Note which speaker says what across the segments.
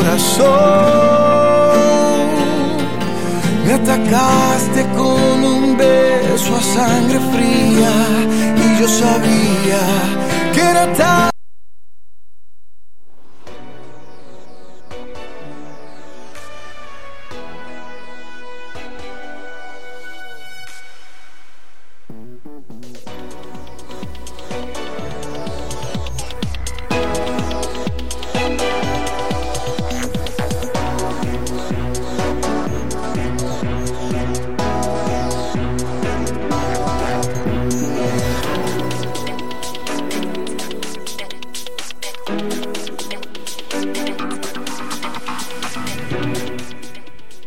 Speaker 1: corazón. Me atacaste con un beso a sangre fría y yo sabía que era tan...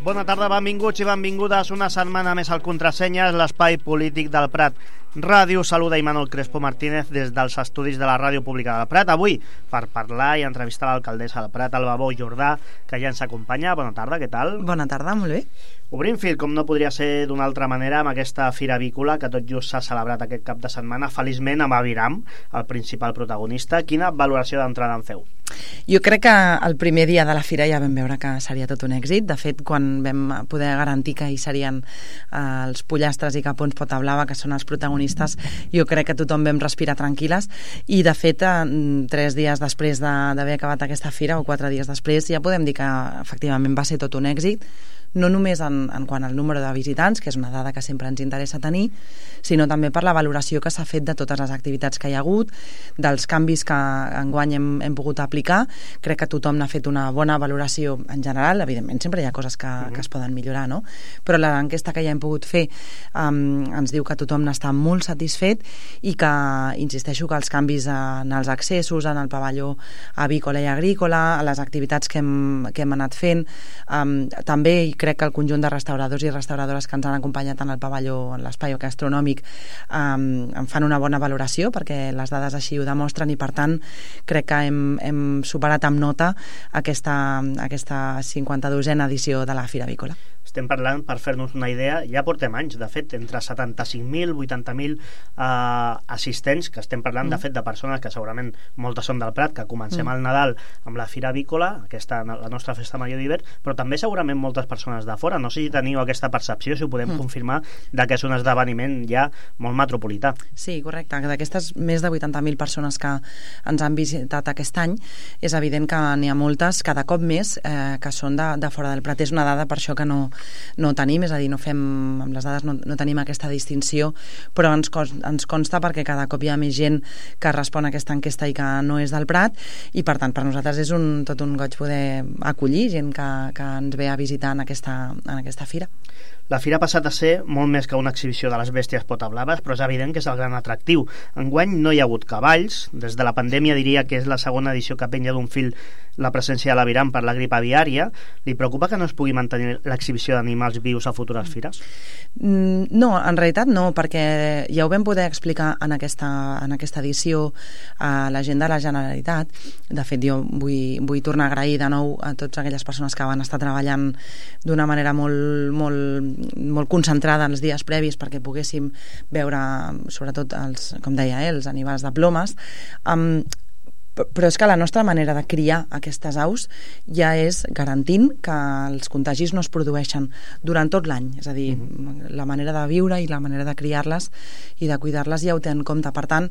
Speaker 2: Bona tarda, benvinguts i benvingudes una setmana més al Contrasenyes, l'espai polític del Prat Ràdio. Saluda Imanol Crespo Martínez des dels estudis de la Ràdio Pública del Prat. Avui per parlar i entrevistar l'alcaldessa del Prat, Alba Bou Jordà, que ja ens acompanya. Bona tarda, què tal?
Speaker 3: Bona tarda, molt bé.
Speaker 2: Obrim fil, com no podria ser d'una altra manera, amb aquesta fira avícola que tot just s'ha celebrat aquest cap de setmana, feliçment amb Aviram, el principal protagonista. Quina valoració d'entrada en feu?
Speaker 3: Jo crec que el primer dia de la fira ja vam veure que seria tot un èxit. De fet, quan vam poder garantir que hi serien els pollastres i capons pota blava, que són els protagonistes, jo crec que tothom vam respirar tranquil·les. I de fet, 3 dies després d'haver acabat aquesta fira, o 4 dies després, ja podem dir que efectivament va ser tot un èxit, no només en quant al número de visitants, que és una dada que sempre ens interessa tenir, sinó també per la valoració que s'ha fet de totes les activitats que hi ha hagut, dels canvis que enguany hem pogut aplicar. Crec que tothom n'ha fet una bona valoració en general. Evidentment sempre hi ha coses que es poden millorar, no? Però l'enquesta que ja hem pogut fer ens diu que tothom n'està molt satisfet i que, insisteixo, que els canvis en els accessos, en el pavelló avícola i agrícola, a les activitats que hem anat fent, també crec que el conjunt de restauradors i restauradores que ens han acompanyat en el pavelló, en l'espai gastronòmic, en fan una bona valoració, perquè les dades així ho demostren, i per tant crec que hem superat amb nota aquesta 52a edició de la Fira Avícola.
Speaker 2: Estem parlant, per fer-nos una idea, ja portem anys, de fet, entre 75.000 i 80.000 assistents, que estem parlant, de fet, de persones que segurament moltes són del Prat, que comencem el Nadal amb la Fira Avícola, la nostra festa major d'hivern, però també segurament moltes persones de fora. No sé si teniu aquesta percepció, si ho podem confirmar, de que és un esdeveniment ja molt metropolità.
Speaker 3: Sí, correcte. D'aquestes més de 80.000 persones que ens han visitat aquest any, és evident que n'hi ha moltes, cada cop més, que són de fora del Prat. És una dada, per això, que no tenim, és a dir, no fem, amb les dades no tenim aquesta distinció, però ens consta perquè cada cop hi ha més gent que respon a aquesta enquesta i que no és del Prat, i per tant per nosaltres és tot un goig poder acollir gent que ens ve a visitar en aquesta fira.
Speaker 2: La fira ha passat a ser molt més que una exhibició de les bèsties potablaves, però és evident que és el gran atractiu. Enguany no hi ha hagut cavalls. Des de la pandèmia diria que és la segona edició que penja d'un fil la presència de l'Aviram per la grip aviària. Li preocupa que no es pugui mantenir l'exhibició d'animals vius a futures fires?
Speaker 3: No, en realitat no, perquè ja ho vam poder explicar en aquesta edició a la gent de la Generalitat. De fet, jo vull tornar a agrair de nou a totes aquelles persones que van estar treballant d'una manera molt concentrada en els dies previs perquè poguéssim veure, sobretot com deia, els animals de plomes. Però és que la nostra manera de criar aquestes aus ja és garantint que els contagis no es produeixen durant tot l'any, és a dir, la manera de viure i la manera de criar-les i de cuidar-les ja ho té en compte. Per tant,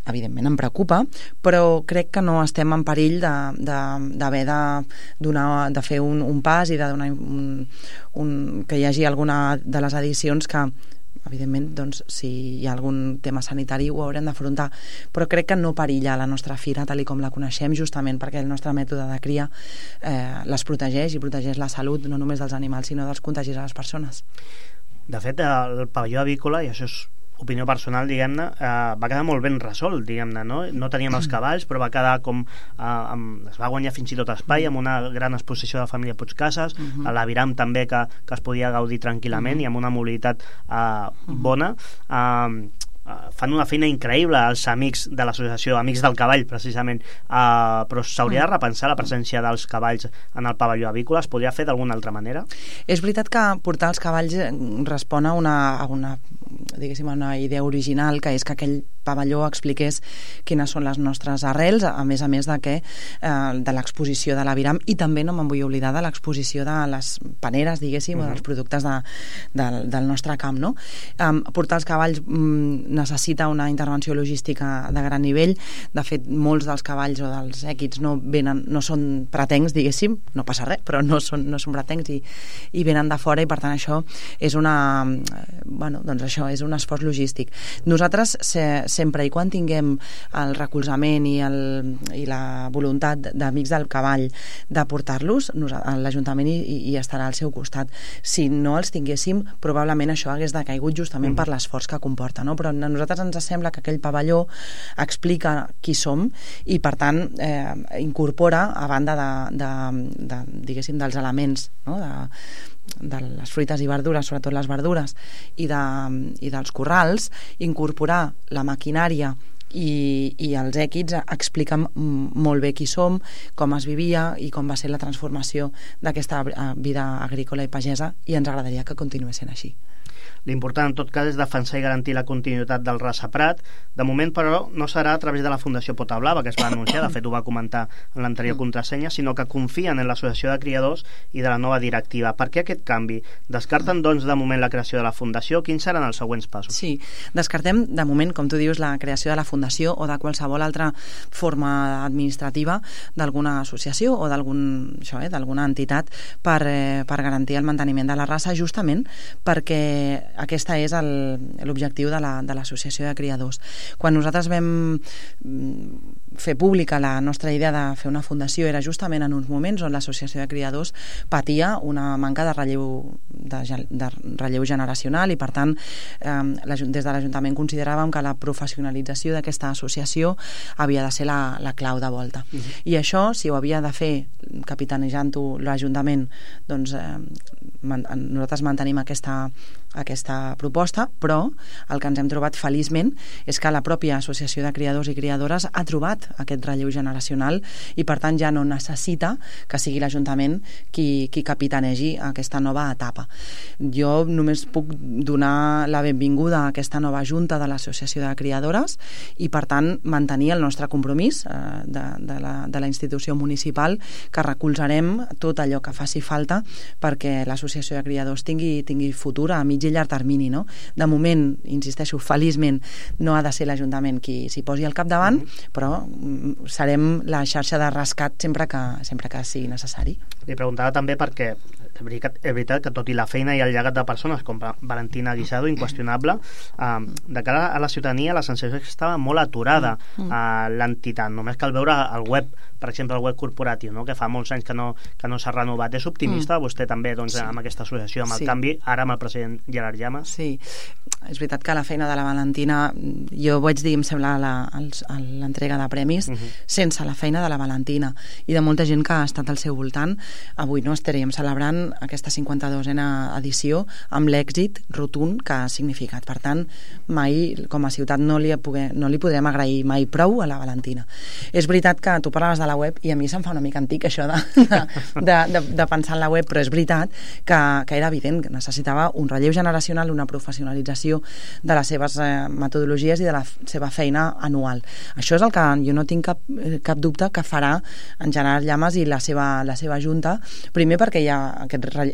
Speaker 3: evidentment em preocupa, però crec que no estem en perill d'haver de fer un pas i de donar que hi hagi alguna de les edicions que evidentment, doncs, si hi ha algun tema sanitari ho haurem d'afrontar, però crec que no perilla la nostra fira tal com la coneixem, justament perquè el nostre mètode de cria les protegeix i protegeix la salut no només dels animals sinó dels contagis a les persones.
Speaker 2: De fet, el pavelló avícola, i això és opinió personal, diguem-ne, va quedar molt ben resolt, diguem-ne, no? No teníem els cavalls, però va quedar com es va guanyar fins i tot espai amb una gran exposició de la família Puigcases, a l'Aviram també que es podia gaudir tranquil·lament i amb una mobilitat bona. fan una feina increïble els amics de l'associació, Amics del Cavall, precisament, però s'hauria de repensar la presència dels cavalls en el pavelló avícola. Es podria fer d'alguna altra manera?
Speaker 3: És veritat que portar els cavalls respon a una idea original, que és que aquell pavelló expliqués quines són les nostres arrels, a més de l'exposició de l'Aviram, i també no me'n vull oblidar de l'exposició de les paneres, diguéssim, o dels productes del nostre camp, no? Portar els cavalls necessita una intervenció logística de gran nivell. De fet, molts dels cavalls o dels èquids no són pretencs, diguéssim, no passa res, però no són pretencs i venen de fora, i per tant això és és un esforç logístic. Nosaltres, sempre i quan tinguem el recolzament i la voluntat d'Amics del Cavall de portar-los, l'Ajuntament hi estarà al seu costat. Si no els tinguéssim, probablement això hagués decaigut justament per l'esforç que comporta, no? Però a nosaltres ens sembla que aquell pavelló explica qui som i, per tant, incorpora, a banda diguéssim, dels elements, no? de les fruites i verdures, sobretot les verdures, i dels corrals, incorporar la maquinària i els èquids expliquen molt bé qui som, com es vivia i com va ser la transformació d'aquesta vida agrícola i pagesa, i ens agradaria que continués sent així.
Speaker 2: L'important, en tot cas, és defensar i garantir la continuïtat del Rasa Prat. De moment, però, no serà a través de la Fundació Pota Blava, que es va anunciar, de fet ho va comentar en l'anterior contrasenya, sinó que confien en l'associació de criadors i de la nova directiva. Per què aquest canvi? Descarten, doncs, de moment la creació de la Fundació? Quins seran els següents passos?
Speaker 3: Sí, descartem, de moment, com tu dius, la creació de la Fundació o de qualsevol altra forma administrativa d'alguna associació o d'alguna entitat per garantir el manteniment de la raça, justament perquè aquesta és l'objectiu de l'associació de criadors. Quan nosaltres vam fer pública la nostra idea de fer una fundació, era justament en uns moments on l'associació de criadors patia una manca de relleu generacional, i per tant des de l'Ajuntament consideràvem que la professionalització d'aquesta associació havia de ser la clau de volta. I això, si ho havia de fer capitanejant-ho l'Ajuntament, doncs nosaltres mantenim aquesta proposta, però el que ens hem trobat feliçment és que la pròpia associació de criadors i criadores ha trobat aquest relleu generacional, i per tant ja no necessita que sigui l'Ajuntament qui capitanegi aquesta nova etapa. Jo només puc donar la benvinguda a aquesta nova junta de l'associació de criadores i, per tant, mantenir el nostre compromís de la institució municipal, que recolzarem tot allò que faci falta perquè l'associació de criadors tingui futur a mig i llarg termini, no? De moment, insisteixo, feliçment no ha de ser l'Ajuntament qui s'hi posi al capdavant, però serem la xarxa de rescat sempre que sigui necessari.
Speaker 2: Li preguntava també perquè és veritat que tot i la feina i el llegat de persones com Valentina Guisado, inqüestionable, de cara a la ciutadania la sensació és que estava molt aturada l'entitat. Només cal veure el web, per exemple el web corporatiu, no? Que fa molts anys que no s'ha renovat. És optimista vostè també, doncs, amb aquesta associació, amb el canvi, ara amb el president Gerard Llamas?
Speaker 3: Sí, és veritat que la feina de la Valentina, jo ho vaig dir, em sembla, a l'entrega de premis, sense la feina de la Valentina i de molta gent que ha estat al seu voltant, avui no estaríem celebrant aquesta 52a edició amb l'èxit rotund que ha significat. Per tant, mai com a ciutat no li podrem agrair mai prou a la Valentina. És veritat que tu parlaves de la web i a mi se'm fa una mica antic això de pensar en la web, però és veritat que era evident que necessitava un relleu generacional, una professionalització de les seves metodologies i de la seva feina anual. Això és el que jo no tinc cap dubte que farà en Gerard Llamas i la seva junta, primer perquè hi ha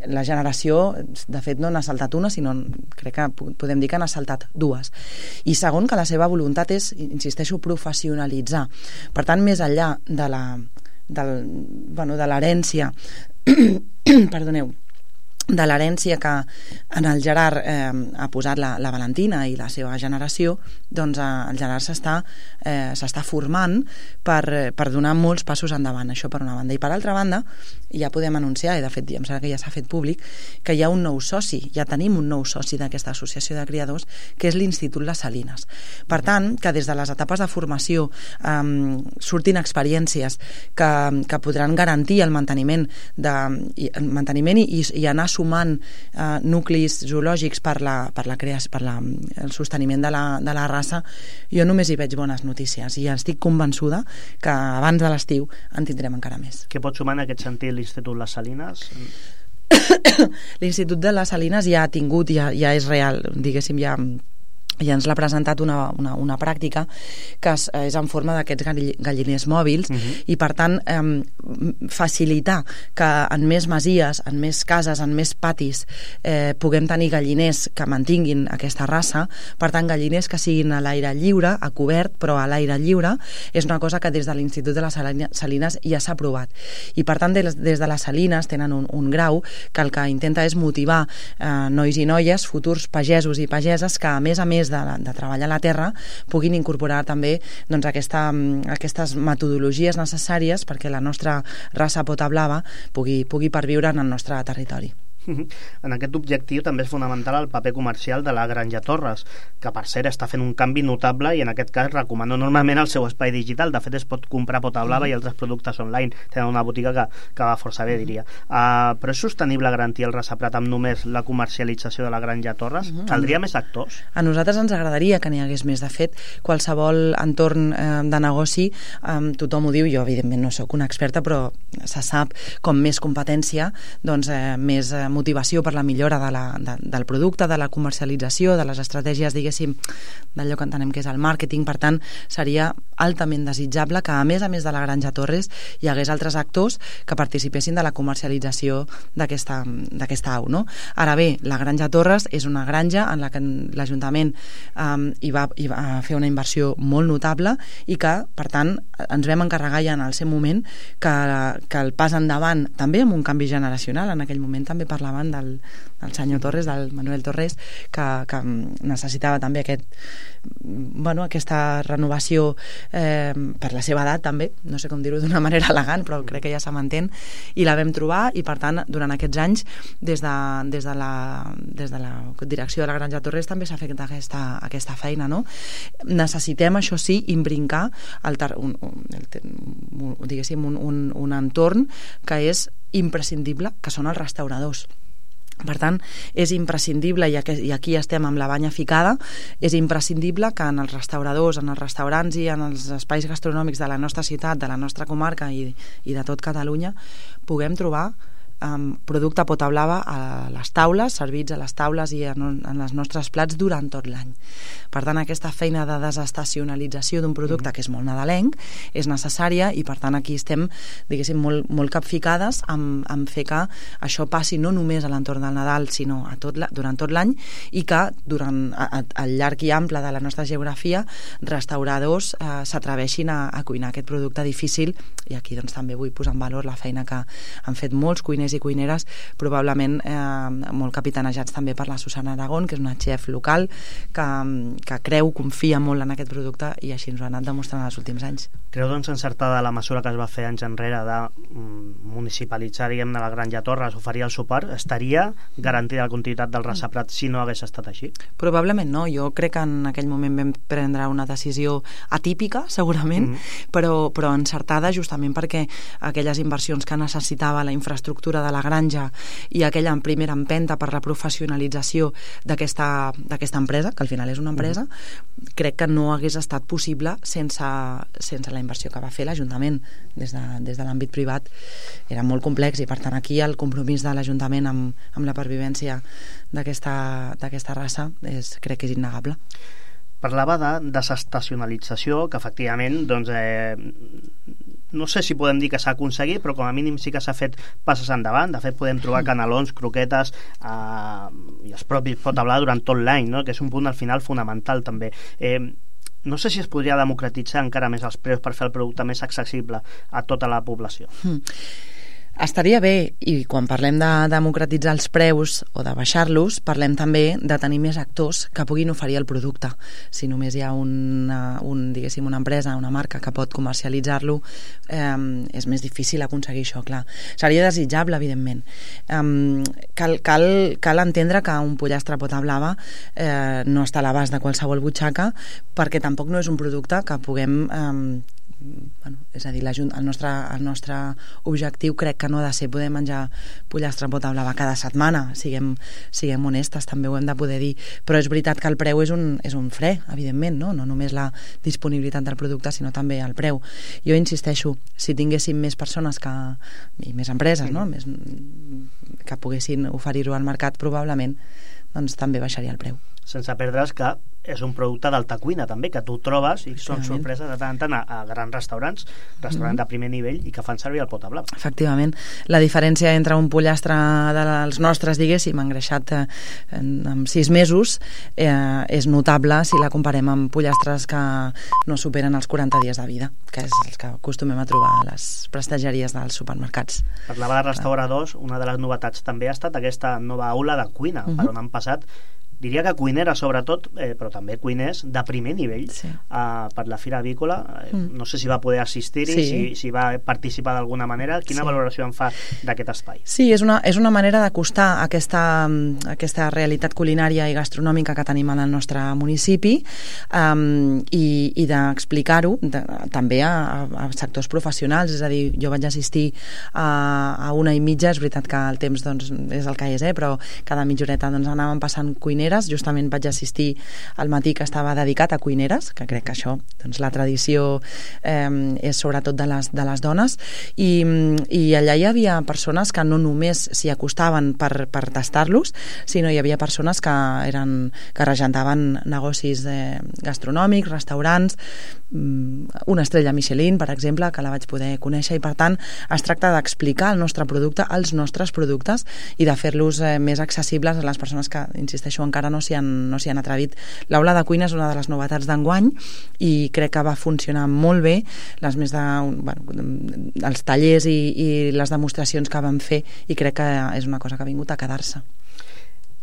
Speaker 3: la generació, de fet no n'ha saltat una, sinó crec que podem dir que n'ha saltat dues, i segon que la seva voluntat és, insisteixo, professionalitzar. Per tant, més enllà de l'herència perdoneu, de l'herència que en el Gerard ha posat la Valentina i la seva generació, doncs el Gerard s'està formant per donar molts passos endavant, això per una banda. I per altra banda, ja podem anunciar, i de fet em sembla que ja s'ha fet públic, que hi ha un nou soci, ja tenim un nou soci d'aquesta associació de criadors, que és l'Institut Les Salines. Per tant, que des de les etapes de formació surtin experiències que podran garantir el manteniment i anar sumant nuclis zoològics per el sosteniment de la raça, jo només hi veig bones notícies i estic convençuda que abans de l'estiu en tindrem encara més.
Speaker 2: Què pot sumar en aquest sentit l'Institut Les Salines?
Speaker 3: L'Institut de les Salines ja ha tingut, ja és real, diguéssim, ja ens l'ha presentat una pràctica que és en forma d'aquests galliners mòbils i per tant facilitar que en més masies, en més cases, en més patis puguem tenir galliners que mantinguin aquesta raça, per tant galliners que siguin a l'aire lliure, a cobert però a l'aire lliure, és una cosa que des de l'Institut de les Salines ja s'ha provat i per tant des de les Salines tenen un grau que el que intenta és motivar nois i noies, futurs pagesos i pageses que a més de treballar la terra puguin incorporar també doncs, aquestes metodologies necessàries perquè la nostra raça pota blava pugui perviure en el nostre territori.
Speaker 2: En aquest objectiu també és fonamental el paper comercial de la Granja Torres, que per cert està fent un canvi notable i en aquest cas recomano enormement el seu espai digital. De fet es pot comprar pota blava i altres productes online, tenen una botiga que va força bé, diria. Però és sostenible garantir el raçaprat amb només la comercialització de la Granja Torres? Caldria més actors?
Speaker 3: A nosaltres ens agradaria que n'hi hagués més. De fet, qualsevol entorn de negoci, tothom ho diu, jo evidentment no sóc una experta, però se sap com més competència, doncs més motivació per la millora del producte, de la comercialització, de les estratègies, diguéssim, d'allò que entenem que és el màrqueting. Per tant, seria altament desitjable que, a més de la Granja Torres, hi hagués altres actors que participessin de la comercialització d'aquesta au, no? Ara bé, la Granja Torres és una granja en la que l'Ajuntament hi va fer una inversió molt notable i que, per tant, ens vam encarregar ja en el seu moment que el pas endavant, també amb un canvi generacional, en aquell moment també parlaven del senyor Torres, del Manuel Torres, que necessitava també aquesta renovació per la seva edat també, no sé com dir-ho d'una manera elegant, però crec que ja se m'entén, i la vam trobar i per tant durant aquests anys des de la direcció de la Granja Torres també s'ha fet aquesta feina, no? Necessitem, això sí, imbrincar un entorn que és imprescindible, que són els restauradors. Per tant, és imprescindible, i aquí estem amb la banya ficada, és imprescindible que en els restauradors, en els restaurants i en els espais gastronòmics de la nostra ciutat, de la nostra comarca i de tot Catalunya puguem trobar producte pota blava a les taules, servits a les taules i en els nostres plats durant tot l'any. Per tant, aquesta feina de desestacionalització d'un producte que és molt nadalenc és necessària i per tant aquí estem, diguéssim, molt capficades en fer que això passi no només a l'entorn del Nadal sinó durant tot l'any i que durant el llarg i ample de la nostra geografia restauradors s'atreveixin a cuinar aquest producte difícil i aquí doncs també vull posar en valor la feina que han fet molts cuiners i cuineres, probablement molt capitanejats també per la Susana Aragón, que és una chef local que confia molt en aquest producte i així ens ho ha anat demostrant els últims anys.
Speaker 2: Creu doncs encertada la mesura que es va fer anys enrere de municipalitzar, diguem-ne, la Granja Torres, oferir el suport? Estaria garantida la continuïtat del raçaprat si no hagués estat així? Probablement
Speaker 3: no, jo crec que en aquell moment vam prendre una decisió atípica, segurament, però encertada justament perquè aquelles inversions que necessitava la infraestructura de la granja i aquella primera empenta per la professionalització d'aquesta empresa, que al final és una empresa, crec que no hagués estat possible sense la inversió que va fer l'Ajuntament des de l'àmbit privat. Era molt complex i per tant aquí el compromís de l'Ajuntament amb la pervivència d'aquesta raça crec que és innegable.
Speaker 2: Parlava de desestacionalització, que efectivament doncs, no sé si podem dir que s'ha aconseguit, però com a mínim sí que s'ha fet passes endavant. De fet podem trobar canelons, croquetes i els propis pota blava durant tot l'any, no? Que és un punt al final fonamental també. No sé si es podria democratitzar encara més els preus per fer el producte més accessible a tota la població.
Speaker 3: Estaria bé, i quan parlem de democratitzar els preus o de baixar-los, parlem també de tenir més actors que puguin oferir el producte. Si només hi ha una empresa, una marca que pot comercialitzar-lo, és més difícil aconseguir això, clar. Seria desitjable, evidentment. Cal entendre que un pollastre pota blava no està a l'abast de qualsevol butxaca perquè tampoc no és un producte que puguem és a dir, el nostre objectiu crec que no ha de ser poder menjar pollastre pota blava cada setmana, siguem honestes, també ho hem de poder dir, però és veritat que el preu és un fre, evidentment, no només la disponibilitat del producte, sinó també el preu. Jo insisteixo, si tinguéssim més persones i més empreses, no? Que poguessin oferir-ho al mercat, probablement doncs també baixaria el preu.
Speaker 2: Sense perdre's que és un producte d'alta cuina també, que tu trobes i són sorpreses de tant en tant a grans restaurants de primer nivell i que fan servir el pota blava.
Speaker 3: Efectivament. La diferència entre un pollastre dels nostres, diguéssim, engreixat en 6 mesos és notable si la comparem amb pollastres que no superen els 40 dies de vida, que és els que acostumem a trobar a les prestegeries dels supermercats.
Speaker 2: Parlava de restauradors, una de les novetats també ha estat aquesta nova aula de cuina, per on han passat, diria que cuineres sobretot, però també cuiners de primer nivell per la Fira Avícola. No sé si va poder assistir-hi, si va participar d'alguna manera. Quina valoració en fa d'aquest espai?
Speaker 3: Sí, és una manera d'acostar aquesta realitat culinària i gastronòmica que tenim en el nostre municipi i d'explicar-ho també a sectors professionals. És a dir, jo vaig assistir a 1h30, és veritat que el temps doncs, és el que és, però cada mitja horeta doncs, anàvem passant cuineres. Justament vaig assistir al matí que estava dedicat a cuineres, que crec que això, doncs la tradició és sobretot de les dones, i allà hi havia persones que no només s'hi acostaven per tastar-los, sinó hi havia persones que regentaven negocis gastronòmics, restaurants, una estrella Michelin, per exemple, que la vaig poder conèixer, i per tant es tracta d'explicar el nostre producte, els nostres productes, i de fer-los més accessibles a les persones que, insisteixo, encara no s'hi han atrevit. L'aula de cuina és una de les novetats d'enguany i crec que va funcionar molt bé. Els tallers i les demostracions que vam fer, i crec que és una cosa que ha vingut a quedar-se.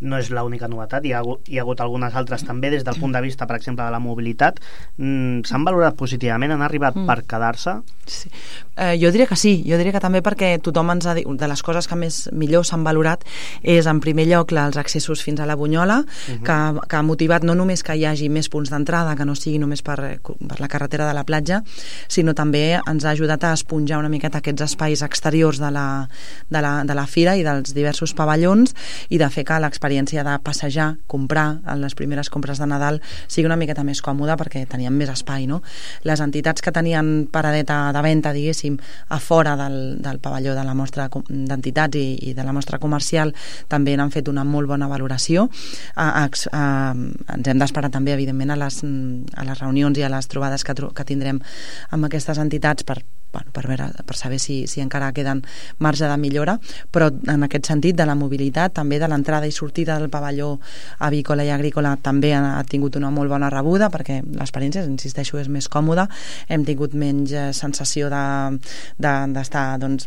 Speaker 2: No és l'única novetat, hi ha hagut algunes altres també des del punt de vista, per exemple, de la mobilitat. S'han valorat positivament, han arribat per quedar-se?
Speaker 3: Sí. Jo diria que sí, jo diria que també, perquè tothom ens ha dit, de les coses que millor s'han valorat és, en primer lloc, els accessos fins a la Bunyola, que ha motivat no només que hi hagi més punts d'entrada, que no sigui només per la carretera de la platja, sinó també ens ha ajudat a esponjar una miqueta aquests espais exteriors de la fira i dels diversos pavellons, i de fer que l'experiència de passejar, comprar les primeres compres de Nadal sigui una miqueta més còmoda, perquè teníem més espai, no? Les entitats que tenien paradeta de venda, diguéssim, a fora del pavelló de la mostra d'entitats i de la mostra comercial també n'han fet una molt bona valoració. Ens hem d'esperar també, evidentment, a les reunions i a les trobades que tindrem amb aquestes entitats per saber si encara queden marge de millora, però en aquest sentit de la mobilitat, també de l'entrada i sortida del pavelló avícola i agrícola, també ha tingut una molt bona rebuda, perquè l'experiència, insisteixo, és més còmoda. Hem tingut menys sensació d'estar doncs,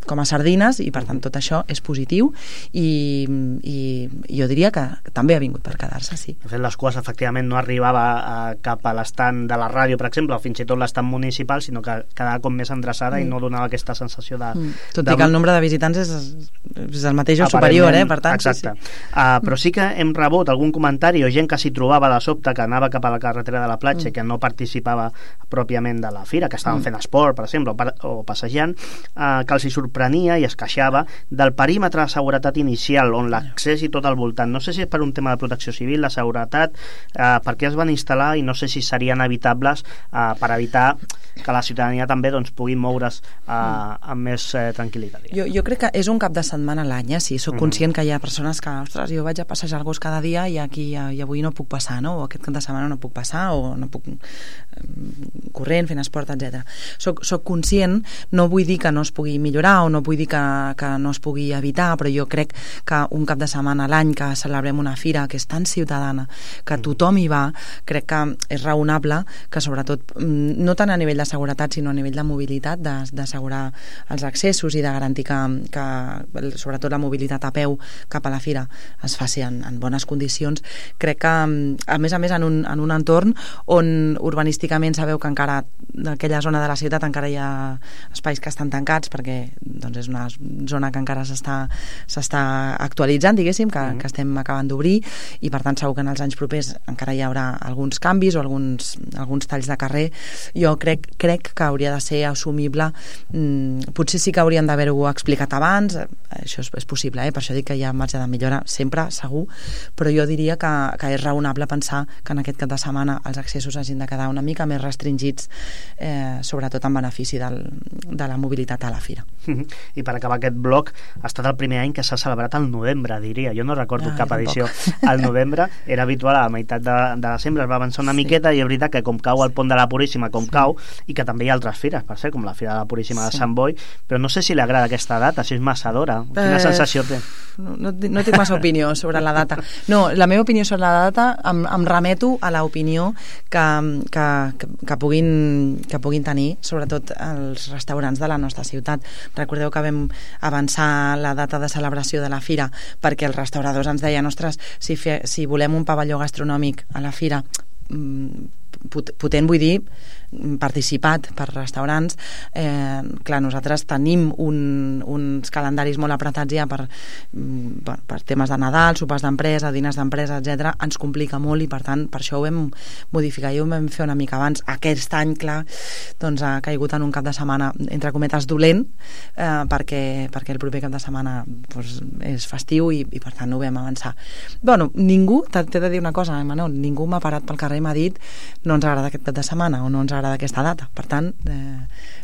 Speaker 3: com a sardines, i per tant tot això és positiu, i jo diria que també ha vingut per quedar-se, sí.
Speaker 2: De fet, les cues efectivament no arribava cap a l'estant de la ràdio, per exemple, o fins i tot l'estant municipal, sinó que quedava com més endreçada i no donava aquesta sensació de...
Speaker 3: Tot i que el nombre de visitants és el mateix o superior, per tant.
Speaker 2: Exacte. Però sí que hem rebut algun comentari o gent que s'hi trobava de sobte, que anava cap a la carretera de la platja i que no participava pròpiament de la fira, que estaven fent esport, per exemple, o passejant, que els hi sorprenia i es queixava del perímetre de seguretat inicial, on l'accés i tot al voltant. No sé si és per un tema de protecció civil, de seguretat, per què es van instal·lar, i no sé si serien evitables per evitar que la ciutadania també doncs, pugui moure's amb més tranquil·litat.
Speaker 3: Jo crec que és un cap de setmana a l'any, sí. Soc conscient que hi ha persones que, ostres, jo vaig a passejar el gos cada dia i avui no puc passar, no? O aquest cap de setmana no puc passar, o no puc corrent, fent esport, etc. Soc conscient, no vull dir que no es pugui millorar o no vull dir que no es pugui evitar, però jo crec que un cap de setmana a l'any que celebrem una fira que és tan ciutadana, que tothom hi va, crec que és raonable que, sobretot, no tant a nivell de seguretat, sinó a nivell de mobilitat, d'assegurar els accessos i de garantir que sobretot la mobilitat a peu cap a la fira es faci en bones condicions. Crec que, a més en un entorn on urbanísticament sabeu que encara d'aquella zona de la ciutat encara hi ha espais que estan tancats, per perquè doncs, és una zona que encara s'està actualitzant, diguéssim, que estem acabant d'obrir, i per tant segur que en els anys propers encara hi haurà alguns canvis o alguns talls de carrer. Jo crec que hauria de ser assumible, potser sí que haurien d'haver-ho explicat abans, això és possible, per això dic que hi ha marge de millora sempre, segur, però jo diria que és raonable pensar que en aquest cap de setmana els accessos hagin de quedar una mica més restringits, sobretot en benefici de la mobilitat a la fira.
Speaker 2: I per acabar aquest bloc, ha estat el primer any que s'ha celebrat al novembre, diria. Jo no recordo cap edició al novembre, era habitual a la meitat de desembre, es va avançar una miqueta, i és veritat que com cau el pont de la Puríssima, cau, i que també hi ha altres fires, per ser, com la Fira de la Puríssima de Sant Boi, però no sé si li agrada aquesta data, si és massa d'hora. Quina sensació té?
Speaker 3: No tinc massa opinió sobre la data. No, la meva opinió sobre la data em remeto a l'opinió que puguin tenir, sobretot els restaurants de la nostra ciutat. Recordeu que vam avançar la data de celebració de la fira perquè els restauradors ens deien, ostres, si volem un pavelló gastronòmic a la fira potent, vull dir participat per restaurants, clar, nosaltres tenim uns calendaris molt apretats ja per temes de Nadal, sopars d'empresa, diners d'empresa, etc. Ens complica molt i per tant per això ho vam modificar i ho vam fer una mica abans. Aquest any, clar, doncs ha caigut en un cap de setmana entre cometes dolent, perquè el proper cap de setmana doncs, és festiu i per tant ho vam avançar. Bueno, ningú, t'he de dir una cosa, Manol, ningú m'ha parat pel carrer i m'ha dit no ens agrada aquest cap de setmana o no ens agrada aquesta data. Per tant,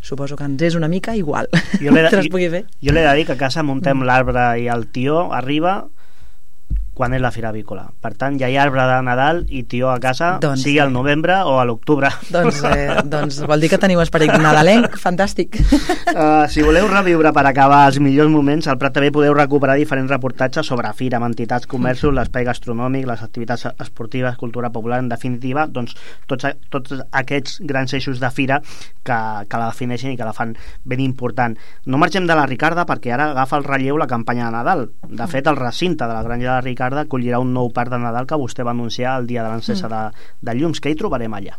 Speaker 3: suposo que ens és una mica igual.
Speaker 2: Jo l'he de dir que a casa muntem l'arbre i el tió arriba quan és la Fira Avícola. Per tant, ja hi ha arbre de Nadal i tió a casa, doncs, sigui al novembre o a l'octubre.
Speaker 3: Doncs vol dir que teniu esperit nadalenc, fantàstic.
Speaker 2: Si voleu reviure per acabar els millors moments, al Prat també podeu recuperar diferents reportatges sobre fira, amb entitats, comerços, l'espai gastronòmic, les activitats esportives, cultura popular, en definitiva, doncs tots aquests grans eixos de fira que la defineixen i que la fan ben important. No marxem de la Ricarda perquè ara agafa el relleu la campanya de Nadal. De fet, el recinte de la Granja de la Ricarda acollirà un nou parc de Nadal que vostè va anunciar el dia de l'encesa de llums. Què hi trobarem allà?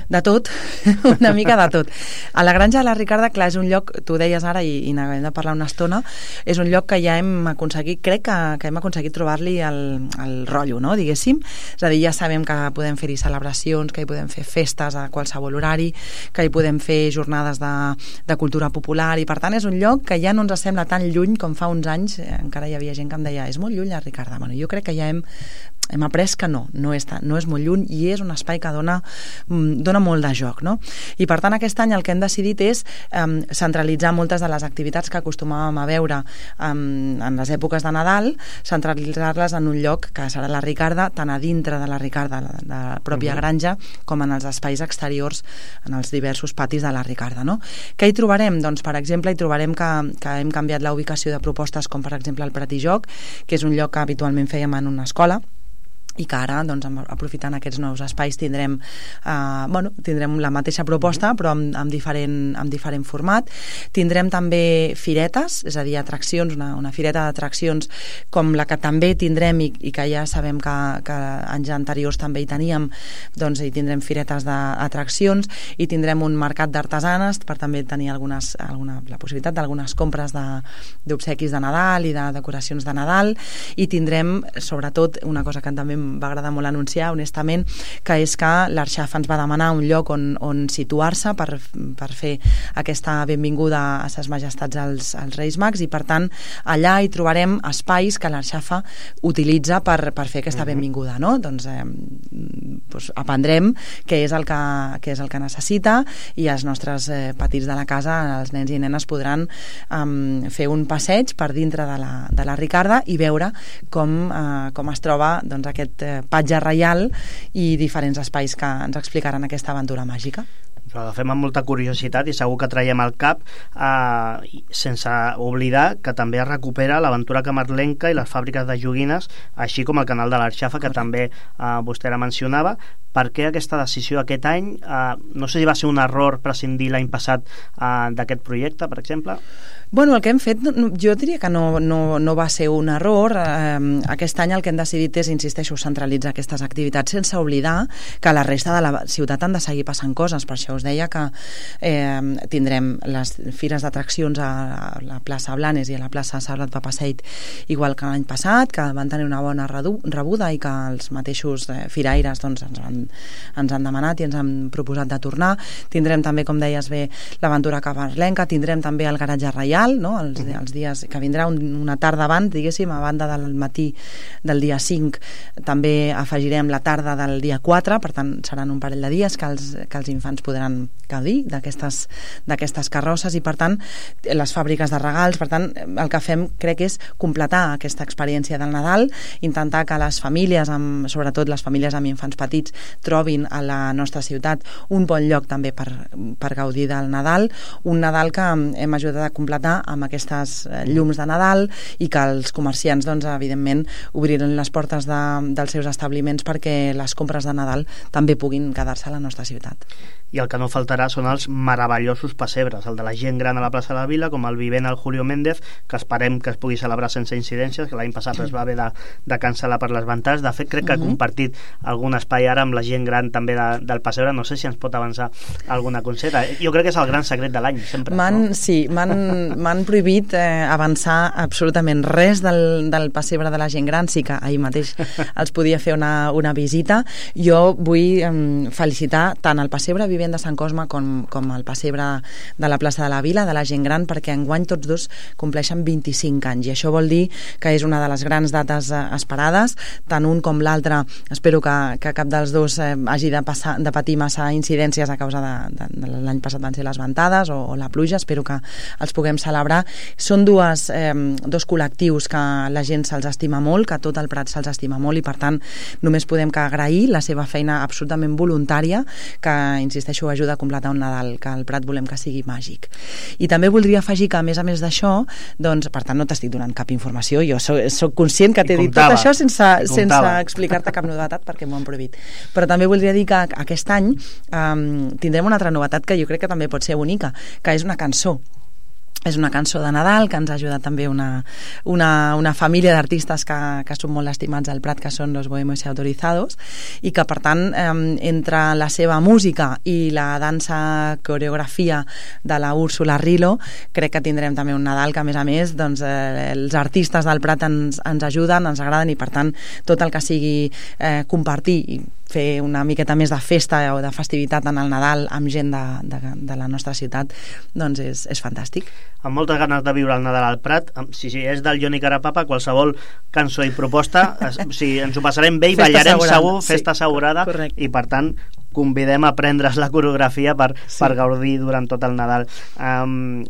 Speaker 3: De tot, una mica de tot. A la Granja de la Ricarda, clar, és un lloc, tu deies ara i n'acabem de parlar una estona, és un lloc que ja hem aconseguit, crec que hem aconseguit trobar-li el rotllo, no? Diguéssim. És a dir, ja sabem que podem fer-hi celebracions, que hi podem fer festes a qualsevol horari, que hi podem fer jornades de cultura popular, i per tant és un lloc que ja no ens sembla tan lluny com fa uns anys. Encara hi havia gent que em deia, és molt lluny la Ricarda. Bueno, jo crec que ja hem après que no és molt lluny i és un espai que dona molt de joc, no? I per tant aquest any el que hem decidit és centralitzar moltes de les activitats que acostumàvem a veure en les èpoques de Nadal, centralitzar-les en un lloc que serà la Ricarda, tant a dintre de la Ricarda, de la pròpia granja, com en els espais exteriors, en els diversos patis de la Ricarda, no? Què hi trobarem? Doncs, per exemple, hi trobarem que hem canviat la ubicació de propostes com, per exemple, el Prat i Joc, que és un lloc que habitualment fèiem en una escola, i que ara, doncs, aprofitant aquests nous espais tindrem la mateixa proposta però amb diferent format. Tindrem també firetes, és a dir, atraccions, una fireta d'atraccions com la que també tindrem i que ja sabem que anys anteriors també hi teníem, doncs hi tindrem firetes d'atraccions i tindrem un mercat d'artesanes per també tenir la possibilitat d'algunes compres d'obsequis de Nadal i de decoracions de Nadal, i tindrem sobretot una cosa que també va agradar molt anunciar, honestament, que és que l'Arxafa ens va demanar un lloc on situar-se per fer aquesta benvinguda a ses majestats als Reis Mags, i per tant allà hi trobarem espais que l'Arxafa utilitza per fer aquesta benvinguda, no? Doncs aprendrem què és el que necessita, i els nostres petits de la casa, els nens i nenes, podran fer un passeig per dintre de la Ricarda i veure com es troba doncs, aquest patge reial i diferents espais que ens explicaran aquesta aventura màgica.
Speaker 2: Però agafem amb molta curiositat i segur que traiem al cap, sense oblidar que també es recupera l'aventura camarlenca i les fàbriques de joguines, així com el canal de l'Arxafa, que també vostè la mencionava. Per què aquesta decisió aquest any? No sé si va ser un error prescindir l'any passat d'aquest projecte, per exemple?
Speaker 3: Bueno, el que hem fet, jo diria que no va ser un error. Aquest any el que hem decidit és, insisteixo, centralitzar aquestes activitats sense oblidar que a la resta de la ciutat han de seguir passant coses. Per això us deia que tindrem les fires d'atraccions a la plaça Blanes i a la plaça Saulat Papaseit igual que l'any passat, que van tenir una bona rebuda i que els mateixos firaires doncs, ens han demanat i ens han proposat de tornar. Tindrem també, com deies bé, l'aventura cabarlenca, tindrem també el garatge reial, no? els dies que vindrà una tarda abans, diguéssim, a banda del matí del dia 5, també afegirem la tarda del dia 4, per tant seran un parell de dies que els infants podran gaudir d'aquestes carrosses i per tant les fàbriques de regals. Per tant, el que fem crec és completar aquesta experiència del Nadal, intentar que les famílies, sobretot les famílies amb infants petits, trobin a la nostra ciutat un bon lloc també per gaudir del Nadal, un Nadal que hem ajudat a completar amb aquestes llums de Nadal i que els comerciants, doncs, evidentment, obriran les portes dels seus establiments perquè les compres de Nadal també puguin quedar-se a la nostra ciutat.
Speaker 2: I el que no faltarà són els meravellosos pessebres, el de la gent gran a la plaça de la Vila, com el vivent al Julio Méndez, que esperem que es pugui celebrar sense incidències, que l'any passat es va haver de cancel·lar per les ventades. De fet, crec que ha compartit algun espai ara amb la gent gran també del pessebre. No sé si ens pot avançar alguna conseta. Jo crec que és el gran secret de l'any, sempre.
Speaker 3: Sí, m'han prohibit avançar absolutament res del pessebre de la gent gran. Sí que ahir mateix els podia fer una visita. Jo vull felicitar tant el pessebre vivent de Sant Cosme com el pessebre de la plaça de la Vila, de la gent gran, perquè enguany tots dos compleixen 25 anys i això vol dir que és una de les grans dates esperades, tant un com l'altre. Espero que cap dels dos hagi de patir massa incidències a causa de l'any passat van ser les ventades o la pluja. Espero que els puguem celebrar. Són dos col·lectius que la gent se'ls estima molt, que tot el Prat se'ls estima molt i per tant només podem que agrair la seva feina absolutament voluntària que, insisteixo, ajuda a completar un Nadal, que el Prat volem que sigui màgic. I també voldria afegir que, a més d'això, doncs, per tant, no t'estic donant cap informació, jo soc conscient que t'he dit tot això sense explicar-te cap novetat perquè m'ho han prohibit. Però també voldria dir que aquest any tindrem una altra novetat que jo crec que també pot ser bonica, que és una cançó. És una cançó de Nadal que ens ha ajudat també una família d'artistes que són molt estimats al Prat, que són los Bohemios Autorizados, i que per tant entre la seva música i la dansa coreografia de la Úrsula Rilo crec que tindrem també un Nadal que a més doncs, els artistes del Prat ens ajuden, ens agraden i per tant tot el que sigui compartir i fer una miqueta més de festa o de festivitat en el Nadal amb gent de la nostra ciutat, doncs és fantàstic.
Speaker 2: Amb moltes ganes de viure el Nadal al Prat. Si és del Johnny Carapapa, qualsevol cançó i proposta, ens ho passarem bé i ballarem segur, festa assegurada, i per tant convidem a prendre's la coreografia per gaudir durant tot el Nadal.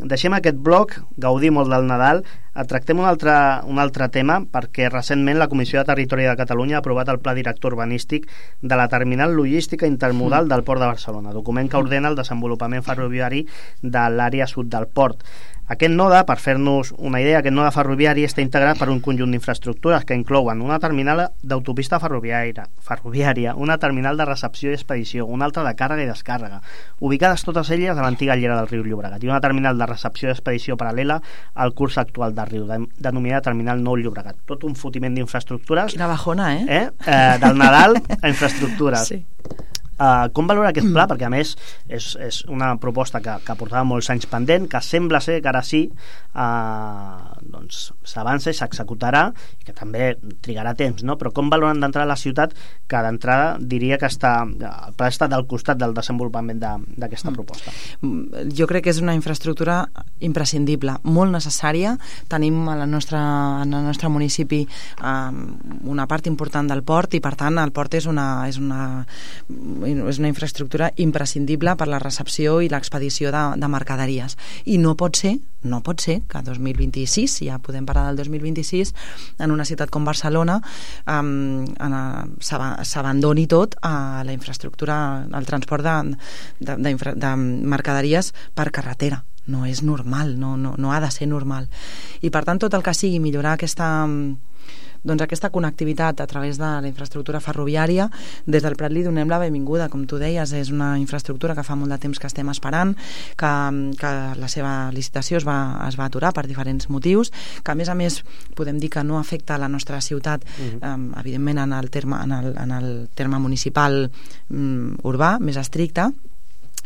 Speaker 2: Deixem aquest bloc, gaudir molt del Nadal. Tractem un altre tema, perquè recentment la Comissió de Territori de Catalunya ha aprovat el Pla Director Urbanístic de la Terminal Logística Intermodal del Port de Barcelona, document que ordena el desenvolupament ferroviari de l'àrea sud del port. Aquest node, per fer-nos una idea, aquest node ferroviari està integrat per un conjunt d'infraestructures que inclouen una terminal d'autopista ferroviària, una terminal de recepció i expedició, una altra de càrrega i descàrrega, ubicades totes elles a l'antiga llera del riu Llobregat, i una terminal de recepció i expedició paral·lela al curs actual del riu, denominada Terminal Nou Llobregat. Tot un fotiment d'infraestructures.
Speaker 3: Quina bajona,
Speaker 2: del Nadal a infraestructures.
Speaker 3: Sí.
Speaker 2: Com valora aquest pla? Perquè a més és una proposta que portava molts anys pendent, que sembla ser que ara sí doncs s'avança i s'executarà, i que també trigarà temps, no? Però com valoren d'entrada la ciutat, que d'entrada diria que el pla està del costat del desenvolupament d'aquesta proposta?
Speaker 3: Jo crec que és una infraestructura imprescindible, molt necessària. Tenim al nostre municipi una part important del port i per tant el port és una infraestructura imprescindible per la recepció i l'expedició de mercaderies, i no pot ser que 2026, ja podem parlar del 2026, en una ciutat com Barcelona s'abandoni tot a la infraestructura, al transport de mercaderies per carretera. No és normal, no ha de ser normal, i per tant tot el que sigui millorar aquesta connectivitat a través de la infraestructura ferroviària, des del Prat li donem la benvinguda. Com tu deies, és una infraestructura que fa molt de temps que estem esperant, que la seva licitació es va aturar per diferents motius, que a més podem dir que no afecta a la nostra ciutat, evidentment en el terme municipal urbà més estricte,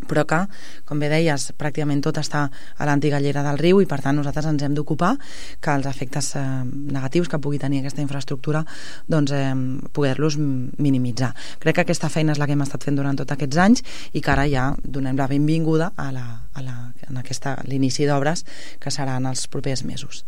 Speaker 3: però que, com bé deies, pràcticament tot està a l'antiga llera del riu i per tant nosaltres ens hem d'ocupar que els efectes negatius que pugui tenir aquesta infraestructura doncs poder-los minimitzar. Crec que aquesta feina és la que hem estat fent durant tots aquests anys i que ara ja donem la benvinguda a l'inici d'obres que seran els propers mesos.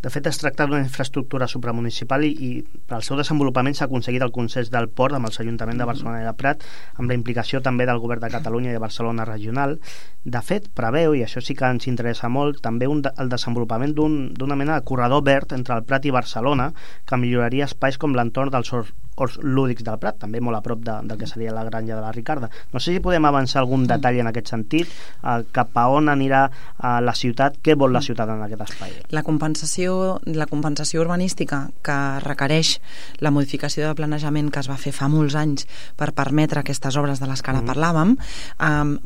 Speaker 2: De fet, es tracta d'una infraestructura supramunicipal i per al seu desenvolupament s'ha aconseguit el consens del port amb els ajuntaments de Barcelona i de Prat, amb la implicació també del govern de Catalunya i de Barcelona regional. De fet, preveu, i això sí que ens interessa molt, també el desenvolupament d'una mena de corredor verd entre el Prat i Barcelona que milloraria espais com l'entorn dels horts lúdics del Prat, també molt a prop del que seria la granja de la Ricarda. No sé si podem avançar algun detall en aquest sentit, cap a on anirà la ciutat, què vol la ciutat en aquest espai.
Speaker 3: La compensació urbanística que requereix la modificació de planejament que es va fer fa molts anys per permetre aquestes obres de les que ara parlàvem,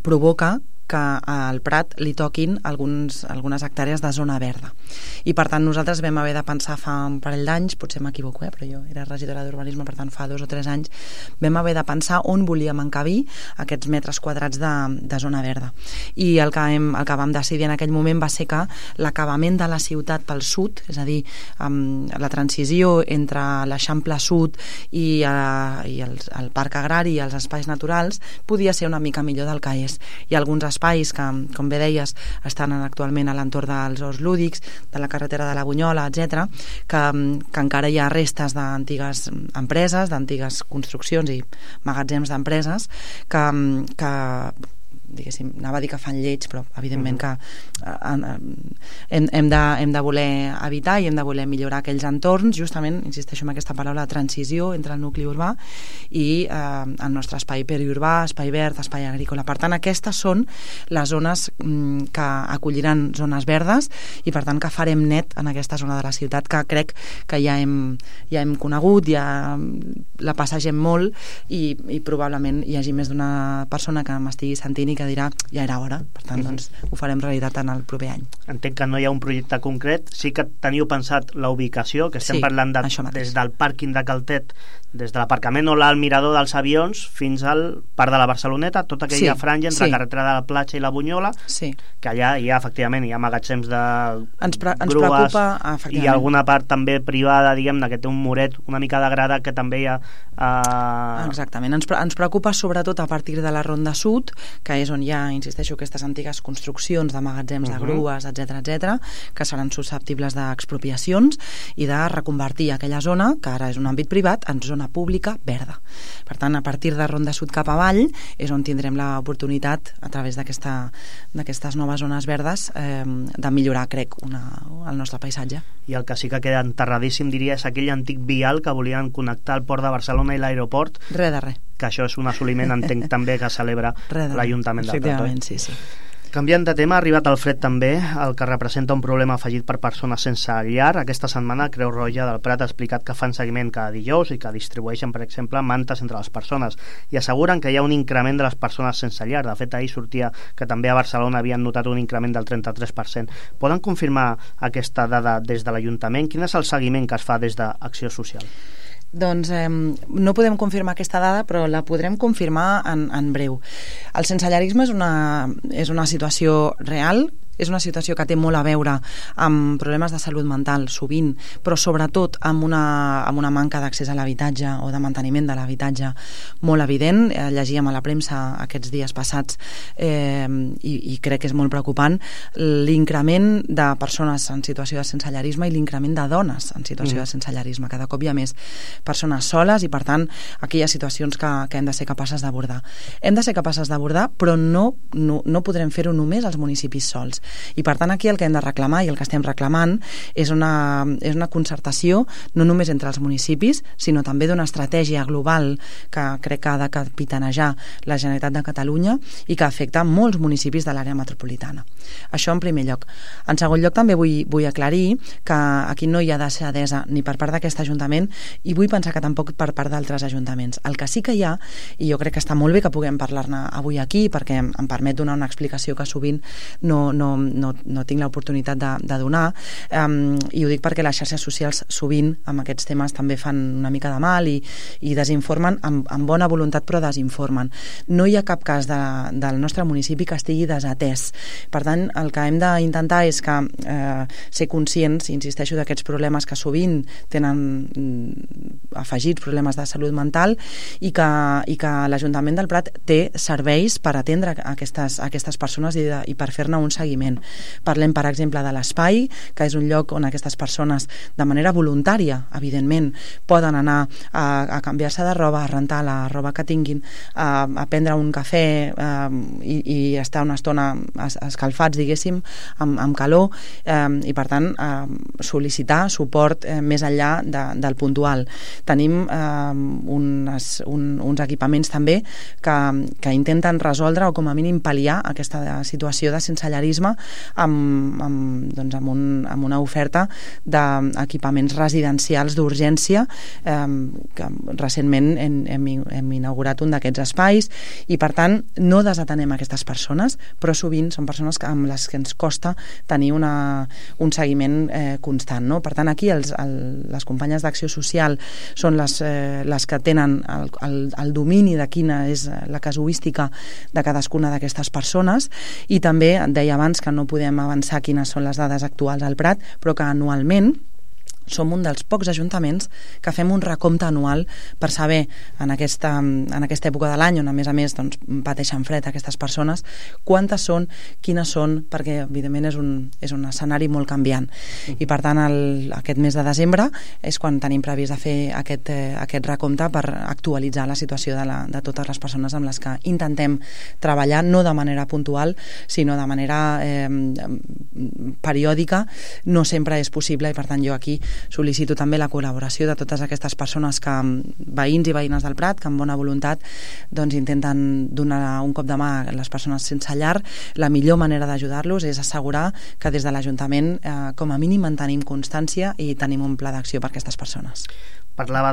Speaker 3: provoca que al Prat li toquin algunes hectàrees de zona verda. I per tant nosaltres vam haver de pensar fa un parell d'anys, potser m'equivoco, però jo era regidora d'urbanisme, per tant fa 2 o 3 anys, vam haver de pensar on volíem encabir aquests metres quadrats de zona verda. I el que vam decidir en aquell moment va ser que l'acabament de la ciutat pel sud, és a dir, la transició entre l'Eixample Sud i el Parc Agrari i els espais naturals podia ser una mica millor del que és. Hi ha alguns espais que, com bé deies, estan actualment a l'entorn dels horts lúdics, de la carretera de la Bunyola, etc., que encara hi ha restes d'antigues empreses, d'antigues construccions i magatzems d'empreses que diguéssim, anava a dir que fan lleig, però evidentment que hem de voler evitar i hem de voler millorar aquells entorns, justament, insisteixo en aquesta paraula, transició entre el nucli urbà i el nostre espai periurbà, espai verd, espai agrícola. Per tant, aquestes són les zones que acolliran zones verdes i per tant que farem net en aquesta zona de la ciutat que crec que ja hem conegut, ja la passegem molt i probablement hi hagi més d'una persona que m'estigui sentint i que dirà ja era hora, per tant doncs ho farem realitat en el proper any.
Speaker 2: Entenc que no hi ha un projecte concret, sí que teniu pensat la ubicació, que estem parlant des del pàrquing de Caltet, des de l'aparcament o al mirador dels avions fins al Parc de la Barceloneta, tota aquella franja entre la carretera de la Platja i la Bunyola, que allà efectivament hi ha magatzems de grues i alguna part també privada, diguem-ne, que té un muret una mica degradat que també hi ha...
Speaker 3: Exactament, ens preocupa sobretot a partir de la Ronda Sud, que és on hi ha, insisteixo, aquestes antigues construccions de magatzems de grues, etc., que seran susceptibles d'expropiacions i de reconvertir aquella zona, que ara és un àmbit privat, en zona pública verda. Per tant, a partir de Ronda Sud cap avall és on tindrem l'oportunitat, a través d'aquestes noves zones verdes, de millorar, crec, el nostre paisatge.
Speaker 2: I el que sí que queda enterradíssim, diria, és aquell antic vial que volien connectar el port de Barcelona i l'aeroport.
Speaker 3: Res de res.
Speaker 2: Que això és un assoliment, entenc també, que celebra l'Ajuntament de Prat.
Speaker 3: Sí.
Speaker 2: Canviant de tema, ha arribat el fred també, el que representa un problema afegit per persones sense llar. Aquesta setmana Creu Roja del Prat ha explicat que fan seguiment cada dijous i que distribueixen, per exemple, mantes entre les persones i asseguren que hi ha un increment de les persones sense llar. De fet, ahir sortia que també a Barcelona havien notat un increment del 33%. Poden confirmar aquesta dada des de l'Ajuntament? Quin és el seguiment que es fa des d'Acció Social?
Speaker 3: Doncs no podem confirmar aquesta dada, però la podrem confirmar en breu. El sensellarisme és una situació real, és una situació que té molt a veure amb problemes de salut mental, sovint, però sobretot amb una manca d'accés a l'habitatge o de manteniment de l'habitatge molt evident. Llegíem a la premsa aquests dies passats i crec que és molt preocupant l'increment de persones en situació de sensellarisme i l'increment de dones en situació de sensellarisme. Cada cop hi ha més persones soles i, per tant, aquí hi ha situacions que hem de ser capaces d'abordar. Hem de ser capaces d'abordar, però no podrem fer-ho només als municipis sols. I per tant aquí el que hem de reclamar i el que estem reclamant és una concertació no només entre els municipis, sinó també d'una estratègia global que crec que ha de capitanejar la Generalitat de Catalunya i que afecta molts municipis de l'àrea metropolitana. Això en primer lloc. En segon lloc també vull aclarir que aquí no hi ha deixadesa ni per part d'aquest Ajuntament i vull pensar que tampoc per part d'altres ajuntaments. El que sí que hi ha, i jo crec que està molt bé que puguem parlar-ne avui aquí perquè em permet donar una explicació que sovint no no tinc l'oportunitat de donar, i ho dic perquè les xarxes socials sovint amb aquests temes també fan una mica de mal i desinformen amb bona voluntat, però desinformen. No hi ha cap cas del nostre municipi que estigui desatès. Per tant, el que hem d'intentar és que ser conscients, insisteixo, d'aquests problemes que sovint tenen afegits problemes de salut mental i que l'Ajuntament del Prat té serveis per atendre aquestes persones i per fer-ne un seguiment. Parlem, per exemple, de l'Espai, que és un lloc on aquestes persones, de manera voluntària, evidentment, poden anar a canviar-se de roba, a rentar la roba que tinguin, a prendre un cafè i estar una estona escalfats, diguéssim, amb calor, i per tant sol·licitar suport més enllà del puntual. Tenim uns equipaments també que intenten resoldre o com a mínim pal·liar aquesta situació de sensellarisme amb una oferta d'equipaments residencials d'urgència, que recentment hem inaugurat un d'aquests espais, i per tant no desatenem aquestes persones, però sovint són persones amb les que ens costa tenir un seguiment constant, no? Per tant, aquí les companyes d'Acció Social són les que tenen el domini de quina és la casuística de cadascuna d'aquestes persones, i també et deia abans que no podem avançar quines són les dades actuals al Prat, però que anualment som un dels pocs ajuntaments que fem un recompte anual per saber en aquesta època de l'any on a més pateixen fred aquestes persones, quantes són, quines són, perquè evidentment és un escenari molt canviant. I per tant aquest mes de desembre és quan tenim previst de fer aquest recompte per actualitzar la situació de totes les persones amb les que intentem treballar, no de manera puntual, sinó de manera periòdica. No sempre és possible, i per tant jo aquí sol·licito també la col·laboració de totes aquestes persones, veïns i veïnes del Prat, que amb bona voluntat intenten donar un cop de mà a les persones sense llar. La millor manera d'ajudar-los és assegurar que des de l'Ajuntament com a mínim mantenim constància i tenim un pla d'acció per a aquestes persones.
Speaker 2: Parlava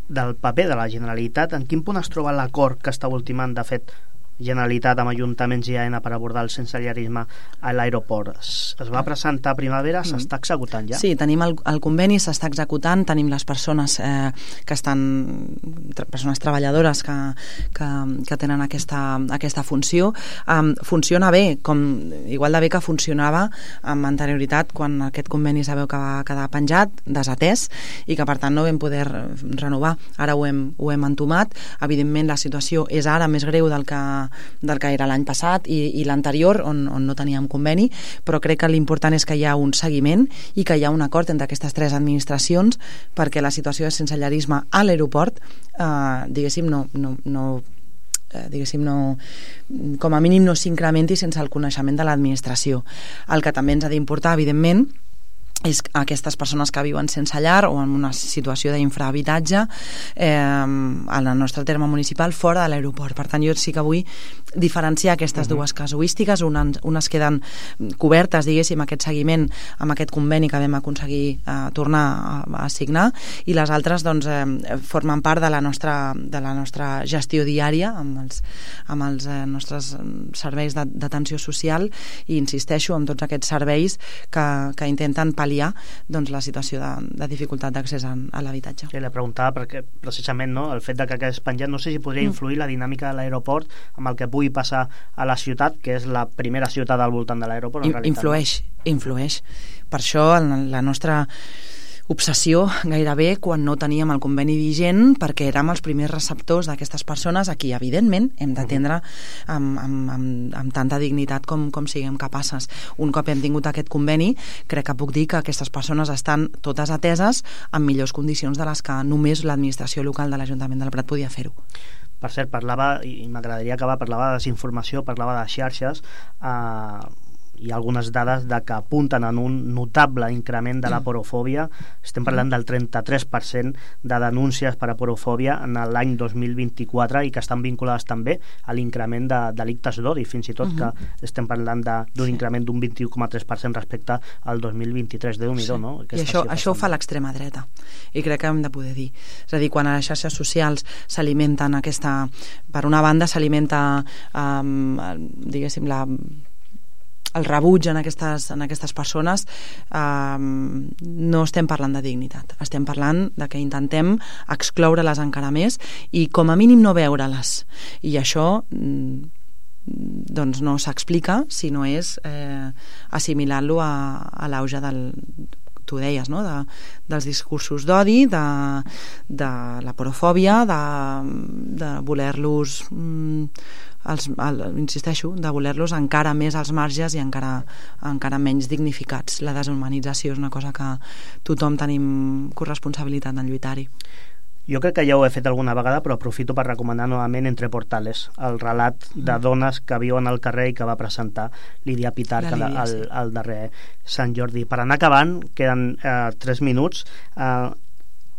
Speaker 2: del paper de la Generalitat. En quin punt es troba l'acord que està ultimant, de fet, Generalitat amb ajuntaments i AENA per abordar el sensellarisme a l'aeroport? Es va presentar a primavera, s'està executant ja?
Speaker 3: Sí, tenim el conveni, s'està executant, tenim les persones que estan, persones treballadores que tenen aquesta funció. Funciona bé, igual de bé que funcionava amb anterioritat, quan aquest conveni sabeu que va quedar penjat, desatès, i que per tant no vam poder renovar. Ara ho hem entomat. Evidentment la situació és ara més greu del que era l'any passat i l'anterior, on no teníem conveni, però crec que l'important és que hi ha un seguiment i que hi ha un acord entre aquestes tres administracions perquè la situació de sensellarisme a l'aeroport diguéssim com a mínim no s'incrementi sense el coneixement de l'administració. El que també ens ha d'importar, evidentment, és aquestes persones que viuen sense llar o en una situació d'infrahabitatge en el nostre terme municipal fora de l'aeroport. Per tant, jo sí que vull diferenciar aquestes dues casuístiques. Unes queden cobertes, diguéssim, aquest seguiment amb aquest conveni que vam aconseguir tornar a signar, i les altres formen part de la nostra gestió diària amb els nostres serveis d'atenció social, i insisteixo en tots aquests serveis que intenten pal·liar la situació de dificultat d'accés a l'habitatge.
Speaker 2: Sí, le preguntava perquè precisament el fet que quedés penjat, no sé si podria influir la dinàmica de l'aeroport amb el que pugui passar a la ciutat, que és la primera ciutat al voltant de l'aeroport.
Speaker 3: Influeix. Per això la nostra obsessió gairebé quan no teníem el conveni vigent, perquè érem els primers receptors d'aquestes persones a qui evidentment hem d'atendre amb tanta dignitat com siguem capaces. Un cop hem tingut aquest conveni, crec que puc dir que aquestes persones estan totes ateses en millors condicions de les que només l'administració local de l'Ajuntament del Prat podia fer-ho.
Speaker 2: Per cert, parlava, i m'agradaria acabar, parlava de desinformació, parlava de xarxes. Hi ha algunes dades que apunten en un notable increment de la porofòbia. Estem parlant del 33% de denúncies per a porofòbia en l'any 2024, i que estan vinculades també a l'increment de delictes d'odi, fins i tot que estem parlant d'un increment d'un 21,3% respecte al 2023. Déu-n'hi-do, no?
Speaker 3: I això ho fa l'extrema dreta, i crec que hem de poder dir. És a dir, quan a les xarxes socials s'alimenten per una banda s'alimenta diguéssim el rebuig en aquestes persones, no estem parlant de dignitat, estem parlant de que intentem excloure-les encara més i com a mínim no veure-les, i això doncs no s'explica si no és assimilant-lo a l'auge tu deies, no? dels discursos d'odi, de la porofòbia, de voler-los insisteixo, de voler-los encara més als marges i encara menys dignificats. La deshumanització és una cosa que tothom tenim corresponsabilitat en lluitar-hi.
Speaker 2: Jo crec que ja ho he fet alguna vegada, però aprofito per recomanar novament Entre Portales, el relat de dones que viuen al carrer i que va presentar Lídia Pitarch al darrer Sant Jordi. Per anar acabant, queden 3 minuts.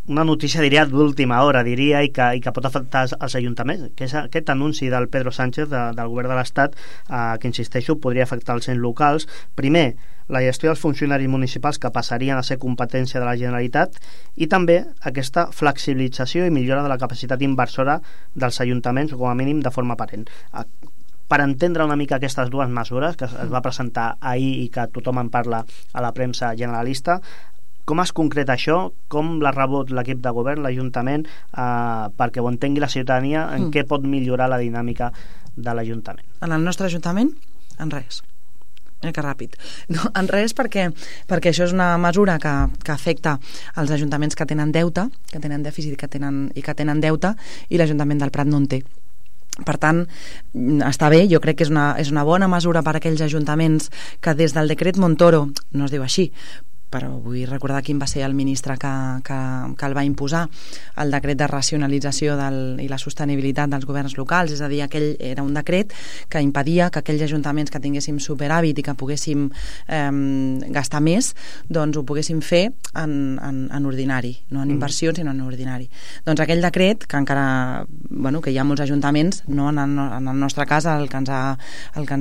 Speaker 2: Una notícia, diria, d'última hora, diria, i que pot afectar els ajuntaments, que és aquest anunci del Pedro Sánchez, del govern de l'Estat, que, insisteixo, podria afectar els ens locals. Primer, la gestió dels funcionaris municipals que passarien a ser competència de la Generalitat, i també aquesta flexibilització i millora de la capacitat inversora dels ajuntaments, com a mínim de forma aparent. Per entendre una mica aquestes dues mesures que es va presentar ahir i que tothom en parla a la premsa generalista, com es concreta això? Com l'ha rebut l'equip de govern, l'Ajuntament, perquè ho entengui la ciutadania, en què pot millorar la dinàmica de l'Ajuntament?
Speaker 3: En el nostre Ajuntament? En res. Que ràpid. No, en res, perquè això és una mesura que afecta els ajuntaments que tenen deute, que tenen dèficit i que tenen deute, i l'Ajuntament del Prat no en té. Per tant, està bé, jo crec que és una bona mesura per a aquells ajuntaments que des del decret Montoro, no es diu així, però vull recordar quin va ser el ministre que el va imposar, el decret de racionalització i la sostenibilitat dels governs locals, és a dir, aquell era un decret que impedia que aquells ajuntaments que tinguéssim superàvit i que poguéssim gastar més, doncs ho poguéssim fer en ordinari, no en inversions, sinó en ordinari. Doncs aquell decret, que encara, que hi ha molts ajuntaments, no en el nostre cas, el que ens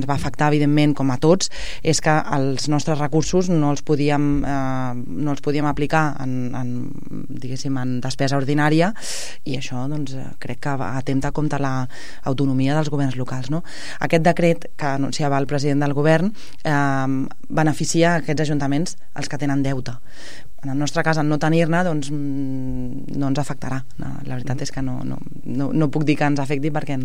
Speaker 3: va afectar, evidentment, com a tots, és que els nostres recursos no els podíem aplicar en despesa ordinària, i això crec que atempta contra l'autonomia dels governs locals, no? Aquest decret que anunciava el president del govern beneficia aquests ajuntaments, els que tenen deute. En el nostre cas, en no tenir-ne, doncs no ens afectarà. La veritat és que no puc dir que ens afecti, perquè,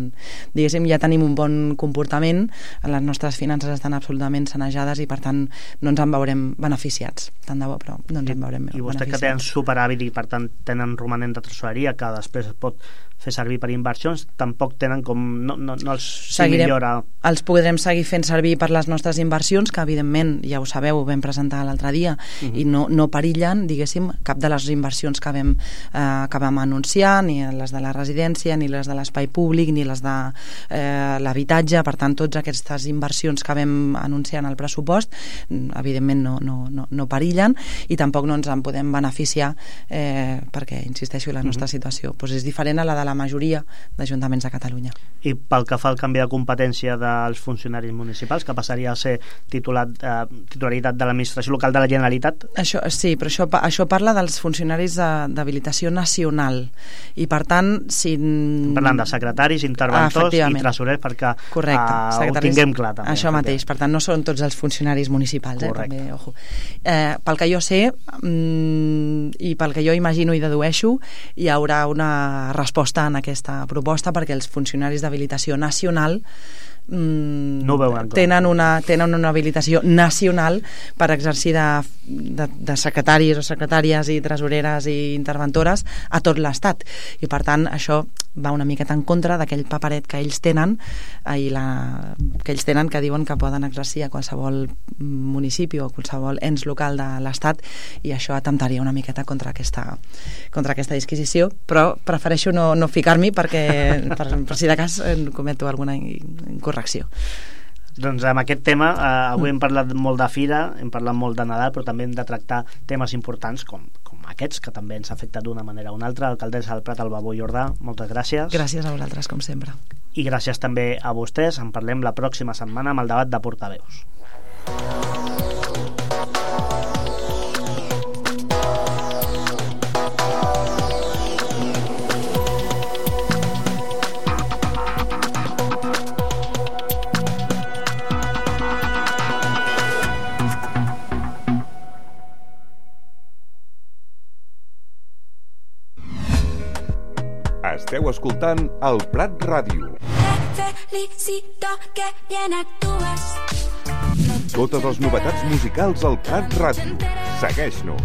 Speaker 3: diguéssim, ja tenim un bon comportament, les nostres finances estan absolutament sanejades i, per tant, no ens en veurem beneficiats. Tant de bo, però no ens en veurem beneficiats.
Speaker 2: I vostè que tenen superàvit i, per tant, tenen romanent de tresoreria que després es pot fer servir per inversions, tampoc tenen com... no els millora...
Speaker 3: Els podrem seguir fent servir per les nostres inversions, que evidentment, ja ho sabeu, ho vam presentar l'altre dia, i no perillen, diguéssim, cap de les inversions que vam anunciar, ni les de la residència, ni les de l'espai públic, ni les de l'habitatge. Per tant, totes aquestes inversions que vam anunciar en el pressupost, evidentment no perillen, i tampoc no ens en podem beneficiar, perquè, insisteixo, la nostra situació és diferent a la de la majoria d'ajuntaments de Catalunya.
Speaker 2: I pel que fa al canvi de competència dels funcionaris municipals, que passaria a ser titularitat de l'administració local de la Generalitat?
Speaker 3: Sí, però això parla dels funcionaris d'habilitació nacional, i per tant, si...
Speaker 2: Parlant de secretaris, interventors i tresorers, perquè ho tinguem clar també.
Speaker 3: Això mateix, per tant, no són tots els funcionaris municipals, també, ojo. Pel que jo sé, i pel que jo imagino i dedueixo, hi haurà una resposta en aquesta proposta, perquè els funcionaris d'habilitació nacional
Speaker 2: no
Speaker 3: tenen una habilitació nacional per exercir de secretaris o secretàries i tresoreres i interventores a tot l'Estat, i per tant això va una miqueta en contra d'aquell paperet que ells tenen, que diuen que poden exercir a qualsevol municipi o qualsevol ens local de l'Estat, i això atemptaria una miqueta contra aquesta disquisició, però prefereixo no ficar-m'hi, perquè per si de cas cometo alguna incorrecció.
Speaker 2: Doncs amb aquest tema avui hem parlat molt de fira, hem parlat molt de Nadal, però també hem de tractar temes importants com aquests, que també ens afecten d'una manera o una altra. Alcaldessa del Prat, Alba Jordà, moltes gràcies.
Speaker 3: Gràcies a vosaltres, com sempre.
Speaker 2: I gràcies també a vostès. En parlem la pròxima setmana amb el debat de portaveus.
Speaker 4: Esteu escoltant el Prat Ràdio.
Speaker 5: Felicito que bien actúes.
Speaker 4: Totes les novetats musicals al Prat Ràdio. Segueix-nos.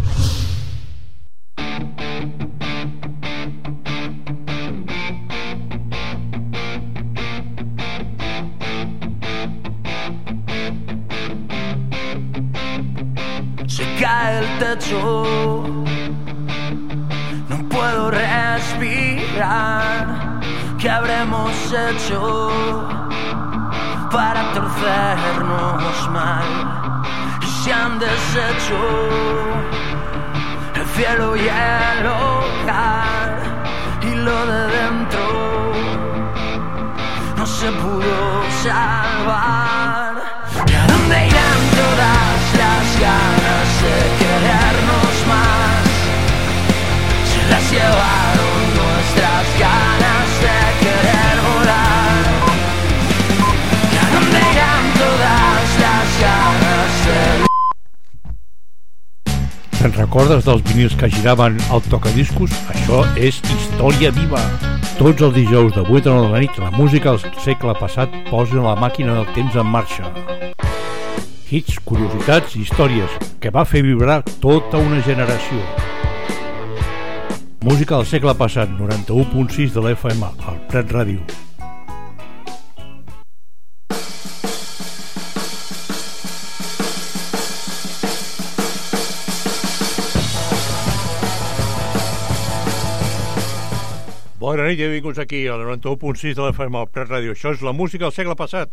Speaker 1: Se cae el techo, no puedo respirar. ¿Qué habremos hecho para torcernos mal? Y se han deshecho el cielo y el hogar, y lo de dentro no se pudo salvar. ¿Y a dónde irán todas las ganas de querernos más? Se las llevaron nuestras ganas de querer volar. ¿Y a dónde irán todas las ganas de...
Speaker 6: Te'n recordes dels vinils que giraven al tocadiscos? Això és història viva. Tots els dijous de 8 a 9 de la nit, la música del segle passat posa la màquina del temps en marxa. Hits, curiositats i històries que va fer vibrar tota una generació. Música del segle passat, 91.6 de l'FM, al Prat Ràdio. Bona nit i benvinguts aquí al 91.6 de l'FM, al Prat Ràdio. Això és la música del segle passat.